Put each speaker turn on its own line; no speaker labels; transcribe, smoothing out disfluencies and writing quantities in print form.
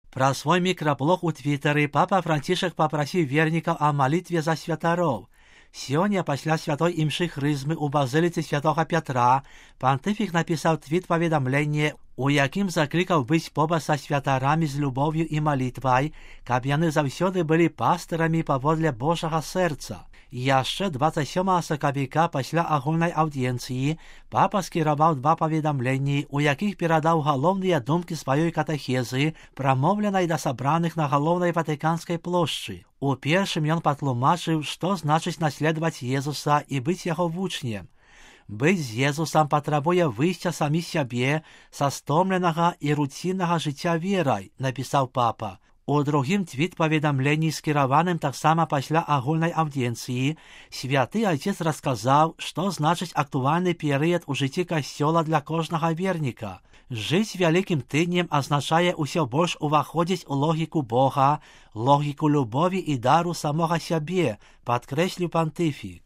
Пра свой мікраблог у Твиттері папа Францішак папрасіў вернікаў о малітве за святароў. Сёння пасля святой імшы хрызмы ў базыліцы святога Пятра пантыфік напісаў твіт-паведамленне, у якім заклікаў быць побач са святарамі з любоўю і малітвай, каб яны заўсёды былі пастырамі паводле Божага сэрца. Яшчэ 27 сакавіка пасля агульнай аўдыенцыі папа скіраваў 2 паведамленні, у якіх перадаў галоўныя думкі сваёй катэхезы, прамоўленай да сабраных на галоўнай Ватыканскай плошчы. У першым ён патлумачыў, што значыць наследаваць Езуса і быць яго вучнем. Быць з Езусам патрабуе выйсця самі сябе са стомленага і руціннага жыцця верай, напісаў папа. У другім твіт-паведамленні, скіраваным таксама пасля агульнай аўдыенцыі, святы айцец расказаў, што значыць актуальны перыяд у жыцці касцёла для кожнага верніка. Жыць вялікім тыднем азначае ўсё больш уваходзіць у логіку Бога, логіку любові і дару самога сябе, падкрэсліў пантыфік.